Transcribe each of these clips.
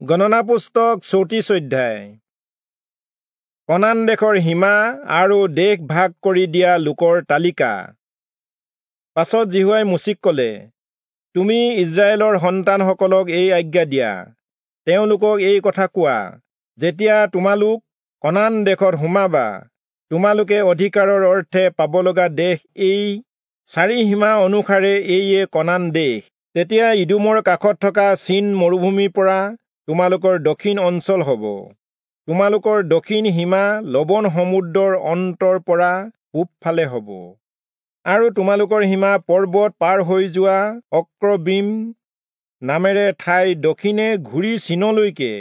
গণনা পুস্তক 34 অধ্যায়। কনান দেশৰ সীমা আৰু দেশ ভাগ কৰি দিয়া লোকৰ তালিকা। পাছত যিহোৱাই মোচিক ক'লে, তুমি ইস্ৰায়েলৰ সন্তানসকলক এই আজ্ঞা দিয়া, তেওঁলোকক এই কথা কোৱা, যেতিয়া তোমালোক কনান দেশত সোমাবা, তোমালোকে অধিকাৰৰ অৰ্থে পাব লগা দেশ এই চাৰি সীমা অনুসাৰে এইয়ে কনান দেশ। তেতিয়া ইদোমৰ কাষত থকা চীন মৰুভূমিৰ পৰা তোমালোকৰ দক্ষিণ অঞ্চল হ'ব। তোমালোকৰ দক্ষিণ সীমা লৱণ সমুদ্ৰৰ অন্তৰ পৰা পূবফালে হ'ব। আৰু তোমালোকৰ সীমা পৰ্বত পাৰ হৈ যোৱা অক্ৰবীম নামেৰে ঠাই দক্ষিণে ঘূৰি চীনলৈকে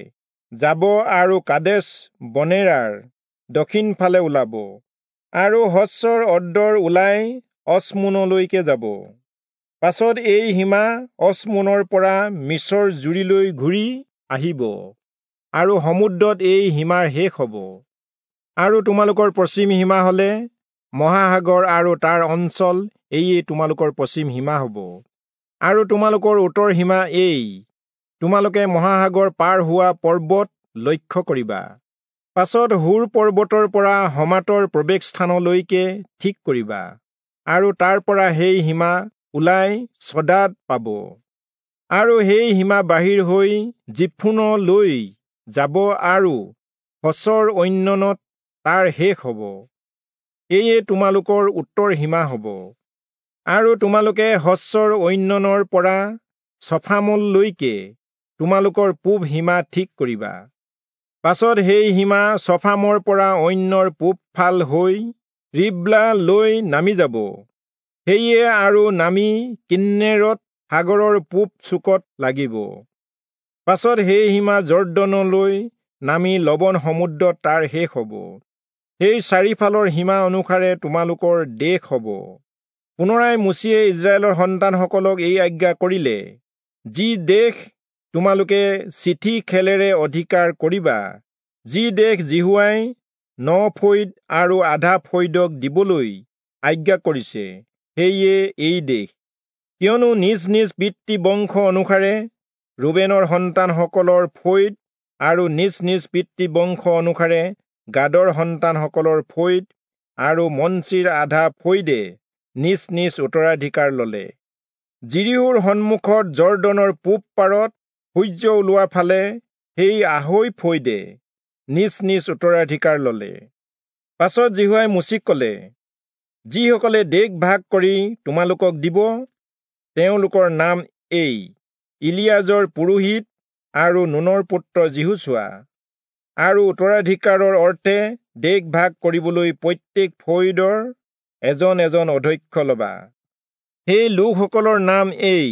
যাব আৰু কাদেশ বনেৰাৰ দক্ষিণ ফালে ওলাব, আৰু হচ্চৰ অদ্দৰ ওলাই অচমোনলৈকে যাব। পাছত এই সীমা অচমোনৰ পৰা মিচৰ জুৰিলৈ ঘূৰি আহিব, আৰু সমুদ্ৰত এই সীমাৰ শেষ হ'ব। আৰু তোমালোকৰ পশ্চিম সীমা হ'লে মহাসাগৰ আৰু তাৰ অঞ্চল, এইয়ে তোমালোকৰ পশ্চিম সীমা হ'ব। আৰু তোমালোকৰ উত্তৰ সীমা এই, তোমালোকে মহাসাগৰ পাৰ হোৱা পৰ্বত লক্ষ্য কৰিবা। পাছত হুৰ পৰ্বতৰ পৰা হমাতৰ প্ৰৱেশ স্থানলৈকে ঠিক কৰিবা, আৰু তাৰ পৰা সেই সীমা ওলাই চদাদ পাব। আৰু সেই সীমা বাহিৰ হৈ জিফোনলৈ যাব আৰু হচৰ ঐননত তাৰ শেষ হ'ব। এয়ে তোমালোকৰ উত্তৰ সীমা হ'ব। আৰু তোমালোকে হচৰ ঐননৰ পৰা চফামলৈকে তোমালোকৰ পূব সীমা ঠিক কৰিবা। পাছত সেই সীমা চফামৰ পৰা অন্যৰ পূব ফাল হৈ ৰিব্লা লৈ নামি যাব। সেয়ে আৰু নামি কিন্নেৰত সাগৰৰ পূব চুকত লাগিব। পাছত সেই সীমা যৰ্দনলৈ নামি লৱণ সমুদ্ৰত তাৰ শেষ হ'ব। সেই চাৰিফালৰ সীমা অনুসাৰে তোমালোকৰ দেশ হ'ব। পুনৰাই মোচিয়ে ইস্ৰায়েলৰ সন্তানসকলক এই আজ্ঞা কৰিলে, যি দেশ তোমালোকে চিঠি খেলেৰে অধিকাৰ কৰিবা, যি দেশ যিহোৱাই ন ফৈদ আৰু আধা ফৈদক দিবলৈ আজ্ঞা কৰিছে, সেয়ে এই দেশ। কিয়নো নিজ নিজ পিতৃ বংশ অনুসাৰে ৰুবেনৰ সন্তানসকলৰ ফৈদ আৰু নিজ নিজ পিতৃ বংশ অনুসাৰে গাদৰ সন্তানসকলৰ ফৈদ আৰু মনচিৰ আধা ফৈদে নিজ নিজ উত্তৰাধিকাৰ ললে। যিৰিহোৰ সন্মুখত যৰ্দনৰ পূব পাৰত সূৰ্য ওলোৱা ফালে সেই আঢ়ৈ ফৈদে নিজ নিজ উত্তৰাধিকাৰ ললে। পাছত যিহোৱাই মোচিক ক'লে, যিসকলে দেশ ভাগ কৰি তোমালোকক দিব, তেওঁলোকৰ নাম এই, ইলিয়াজৰ পুৰোহিত আৰু নুনৰ পুত্ৰ যিহোচূৱা। আৰু উত্তৰাধিকাৰৰ অৰ্থে দেশ ভাগ কৰিবলৈ প্ৰত্যেক ফৈদৰ এজন এজন অধ্যক্ষ ল'বা। সেই লোকসকলৰ নাম এই,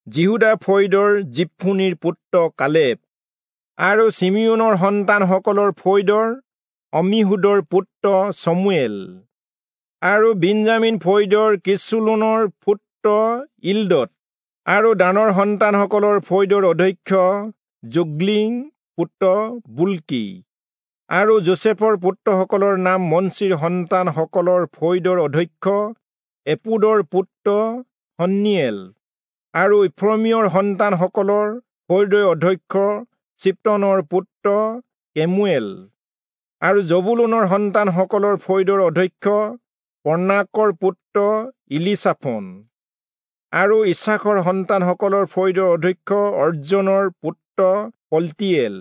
যিহূদা ফৈদৰ যিফুনিৰ পুত্ৰ কালেব, আৰু চিমিয়োনৰ সন্তানসকলৰ ফৈদৰ অম্মীহূদৰ পুত্ৰ চমুৱেল, আৰু বিন্যামীন ফৈদৰ কিচুলোনৰ পুত্ৰ ইল্দদ, আৰু দানৰ সন্তানসকলৰ ফৈদৰ অধ্যক্ষ যোগ্লিম পুত্ৰ বুল্কি, আৰু যোচেফৰ পুত্ৰসকলৰ নাম মনচিৰ সন্তানসকলৰ ফৈদৰ অধ্যক্ষ এপুদৰ পুত্ৰ হন্নিয়েল, আৰু ইফ্ৰমীয়ৰ সন্তানসকলৰ ফৈদৰ অধ্যক্ষ চিপ্তনৰ পুত্ৰ কেমুৱেল, আৰু জবুলূনৰ সন্তানসকলৰ ফৈদৰ অধ্যক্ষ পৰ্ণাকৰ পুত্ৰ ইলিচাফোন, আৰু ইচ্ছাখৰ সন্তানসকলৰ ফৈদৰ অধ্যক্ষ অৰ্জনৰ পুত্ৰ পল্টিয়েল,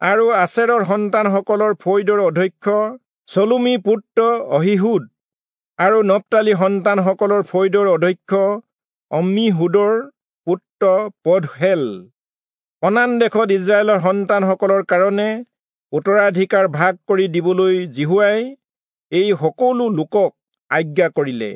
আৰু আচেৰৰ সন্তানসকলৰ ফৈদৰ অধ্যক্ষ চলুমী পুত্ৰ অহীহূদ, আৰু নপ্তালী সন্তানসকলৰ ফৈদৰ অধ্যক্ষ অম্মীহূদৰ পুত্ৰ পদহেল। কনান দেশত ইস্ৰায়েলৰ সন্তানসকলৰ কাৰণে উত্তৰাধিকাৰ ভাগ কৰি দিবলৈ যিহোৱাই এই সকলো লোকক আজ্ঞা কৰিলে।